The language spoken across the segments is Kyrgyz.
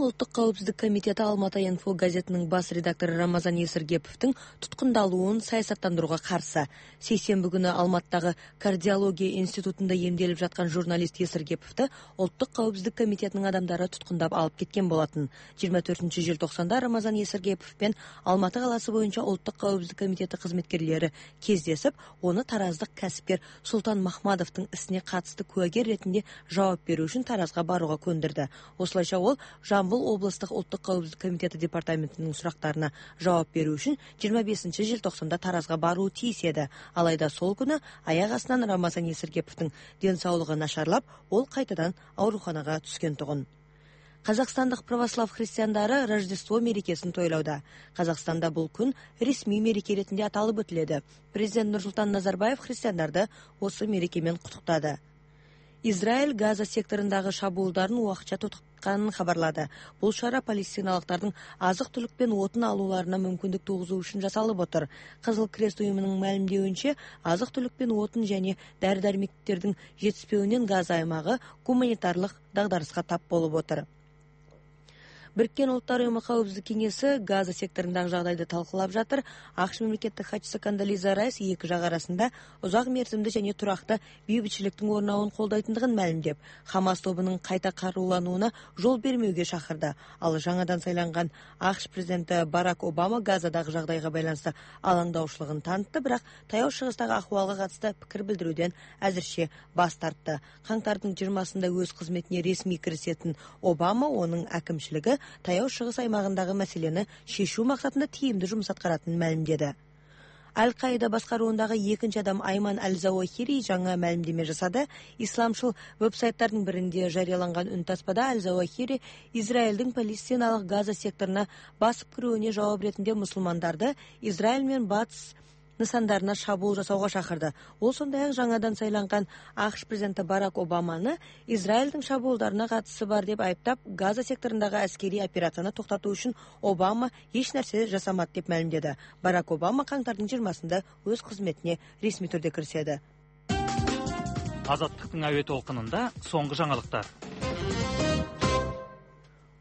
Улуттук коопсуздук комитети Алматы Инфо газетинин бас редактору Рамазан Есиргеповдун туткундалуун саясаттандырууга каршы. Сейсенби күнү Алматыдагы кардиология институтунда эмделип жаткан журналист Есиргеповду Улуттук коопсуздук комитетинин адамдары туткундап алып кеткен болотун. 24-желтоқсанда Рамазан Есиргепов менен Алматы каласы боюнча Улуттук коопсуздук комитети кызметкерлери кездесип, оны тараздык касипкер Султан Махмадовдун исине катысты куагер ретинде жооп берүү үчүн Таразга барууга көндүрдү. Осулайча ол Жамбыл областык Улуттук коопсуздук комитети департаментинин сурактарына жооп берүү үчүн 25-желтоқсанда Таразга баруу тийиз эди. Алайда сол күнү аяк астынан Рамазан Есиргеповдун ден соолугу нашарлап, ол кайтадан ооруканага түскөн тугун. Казакстандык православ христиандары Рождество мерекесин тойлоодо. Казакстанда бул күн ресмий мереке ретинде аталып өтүлөдү. Президент Нурсултан Назарбаев христиандарды осы мереке менен куттуктады. Израиль Газа секторундагы шабуулдарын убакча токтотканын кабарлады. Бул чара палестиналыктардын азык-түлүк пен отун алууларына мүмкүндүк тугузуу үчүн жасалып отур. Кызыл Крест уюмунун маалимдеуинче, азык-түлүк пен отун және дары-дармектердин жетишпөөүнөн Газа аймагы гуманитарлык дагдарыска тап болуп отур. Бириккен Улуттар уюму коопсуздук кеңеси Газа секторундагы жагдайды талкуулап жатыр. АКШ мамлекеттик катчысы Кондолиза Райс эки жак арасында узак мерзимди және туракты бейбитчиликтин орнауын колдойтундугун маалимдеп, Хамас тобунун кайта карууланууна жол бермөөгө чакырды. Ал жаңадан сайланган АКШ президенти Барак Обама Газадагы жагдайга байланыштуу алаңдаушылыгын танытты, бирок Таяу Чыгыстагы акыбалга катысты пикир билдирүүдөн азырче баш тартты. Каңтардын 20-сында өз кызметине ресмий киришетін Обама онун акимчилиги Таяу Чыгыс аймагындагы маселени шешүү максатында тийимдүү жумуш аткаратынын маалимдеди. Аль-Каида башкаруундагы экинчи адам Айман Аль-Завахири жаңа маалимдеме жасады. Исламчыл веб-сайттардын биринде жарыяланган үн таспада Аль-Завахири Израилдин палестиналык Газа секторуна басып кирүүнө жооп ретинде мусулмандарды Израиль менен батыс нысандарына шабуул жасауга чакырды. Ол сондай-ак жаңадан сайланган АКШ президенти Барак Обаманы Израилдин шабуулдарына катысы бар деп айыптап, Газа секторундагы аскерий операцияны токтотуу үчүн Обама эч нерсе жасамат деп маалимдеди. Барак Обама каңтардын 20-сында өз кызметине ресмий түрдө киришеди. Азаттыктын аөе толкунунда соңку жаңылыктар.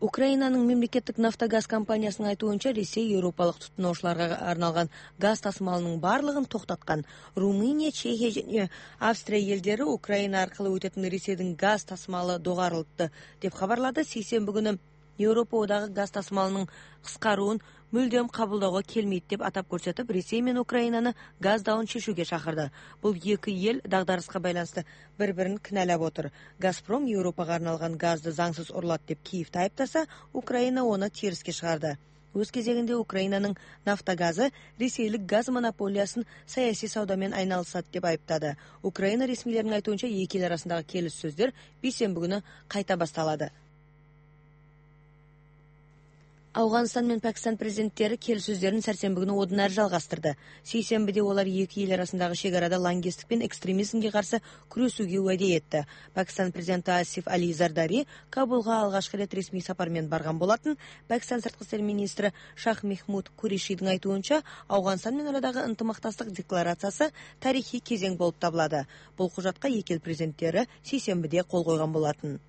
Украинанын мемлекеттик нафтогаз компаниясынын айтуунча, Ресей европалык тутунуучуларга арналган газ тасымалынын баардыгын токтоткан. Румыния, Чехия және Австрия элдери Украина аркылуу өтөтүн Ресейдин газ тасымалы догарылды деп кабарлады. Сейсенби күнү Европа одагы газ тасымалынын кыскаруун мүлдөм кабылдоого келмейт деп атап көрсөтүп, Ресей менен Украинаны газ даун чечүүгө чакырды. Бул эки эл дагдарыска байланыштуу бири-бирин кыналап отур. Газпром Европага арналган газды заңсыз урлат деп Киевди айыптаса, Украина оны териске чыгарды. Өз кезегинде Украинанын нафтогазы Ресейлик газ монополиясын саясий сауда менен айналышат деп айыптады. Украина ресмилеринин айтуунча, эки эл арасындагы келиссөздөр бейсенби күнү кайта башталады. Афганистан менен Пакистан президенттери келиссөздөрүн сәрсенби күнү одан ары жалгастырды. Сейсенбиде олар эки эл арасындагы чек арада лаңкестик пен экстремизмге каршы күрөшүүгө уәде этти. Пакистан президенти Асиф Али Зардари Кабулга алгачкы рет ресмий сапар менен барган болатын. Пакистан сырткы иштер министри Шах Мехмуд Куришидин айтуунча, Афганистан менен арадагы ынтымактастык декларациясы тарихий кезең болуп табылады. Бул кужатка эки эл президенттери сейсенбиде кол койгон болатын.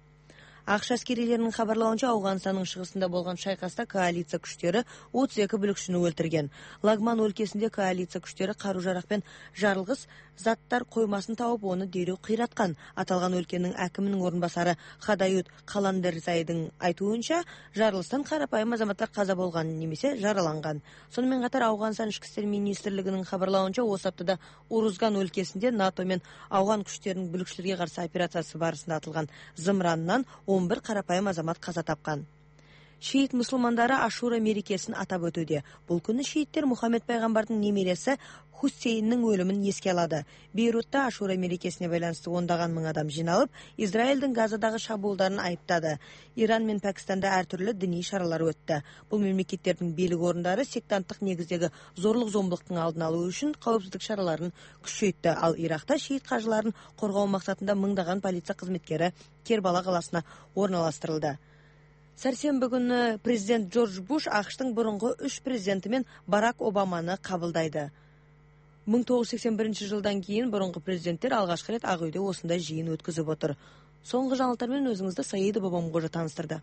АКШ аскерилеринин кабарлауынча, Афганистандын чыгышында болгон шайкаста коалиция күчтөрү 32 бүлүкчүнү өлтүргөн. Лагман өлкесинде коалиция күчтөрү каруу-жарак менен жарылгыс заттар коймасын табып, оны дереу кыйраткан. Аталган өлкөнүн акиминин орун басары Хадаюд Каландерзайдын айтуунча, жарылыштан карапайым азаматтар каза болгон немесе жараланган. Сонун менен катар Афганистан ички иштер министрлигинин кабарлауынча, осы аптада Урузган өлкесинде НАТО менен Афган күчтөрүнүн бүлүкчүлөргө каршы операциясы барысында атылган зымырандан 11 карапайым азамат каза тапкан. Шиит мусулмандары Ашура мерекесин атап өтүүдө. Бул күнү шииттер Мухаммед пайгамбардын немереси Хусейндин өлүмүн эске алады. Бейрутта Ашура мерекесине байланыштуу ондаган миң адам жиналып, Израилдин Газадагы шабуулдарын айыптады. Иран менен Пакистанда ар түрлүү диний шаралар өттү. Бул мемлекеттердин бийлик орундары сектанттык негиздеги зорлук-зомбулуктун алдын алуу үчүн коопсуздук чараларын күчөйттү. Ал Иракта шиит кажыларын коргоо максатында мыңдаган полиция кызметкери Кербала каласына орналаштырылды. Сәрсенбі күнү президент Джордж Буш АКШтын бурунку 3 президенти менен Барак Обаманы кабылдайды. 1981 жылдан кийин бурунку президенттер алгачкы рет Ак үйдө осундай жыйын өткөзүп отур. Соңку жаңылыктар менен өзүңүздү Саида Бабамгожа тааныштырды.